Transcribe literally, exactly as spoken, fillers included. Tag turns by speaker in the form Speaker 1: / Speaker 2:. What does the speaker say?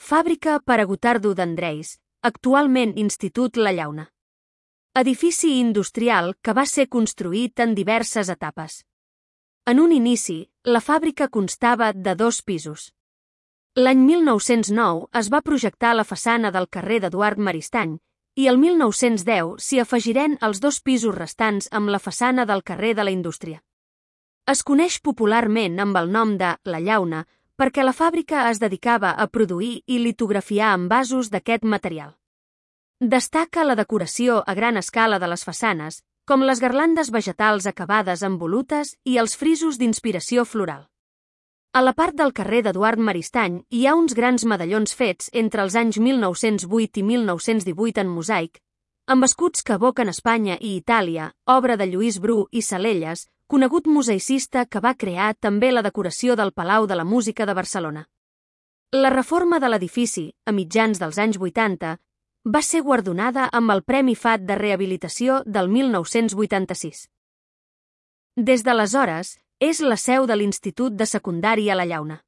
Speaker 1: Fàbrica per a Gotardo d'Andreis, actualment Institut La Llauna. Edifici industrial que va ser construït en diverses etapes. En un inici, la fàbrica constava de dos pisos. L'any mil nou-cents nou es va projectar la façana del carrer d'Eduard Maristany i el mil nou-cents deu s'hi afegiren els dos pisos restants amb la façana del carrer de la Indústria. Es coneix popularment amb el nom de La Llauna perquè la fàbrica es dedicava a produir i litografiar envasos d'aquest material. Destaca la decoració a gran escala de les façanes, com les garlandes vegetals acabades amb volutes i els frisos d'inspiració floral. A la part del carrer d'Eduard Maristany hi ha uns grans medallons fets entre els anys mil nou-cents vuit i mil nou-cents divuit en mosaic, amb escuts que evoquen Espanya i Itàlia, obra de Lluís Bru i Salelles, conegut museicista que va crear també la decoració del Palau de la Música de Barcelona. La reforma de l'edifici, a mitjans dels anys vuitanta, va ser guardonada amb el Premi F A T de Rehabilitació del mil nou-cents vuitanta-sis. Des d'aleshores, és la seu de l'Institut de Secundària La Llauna.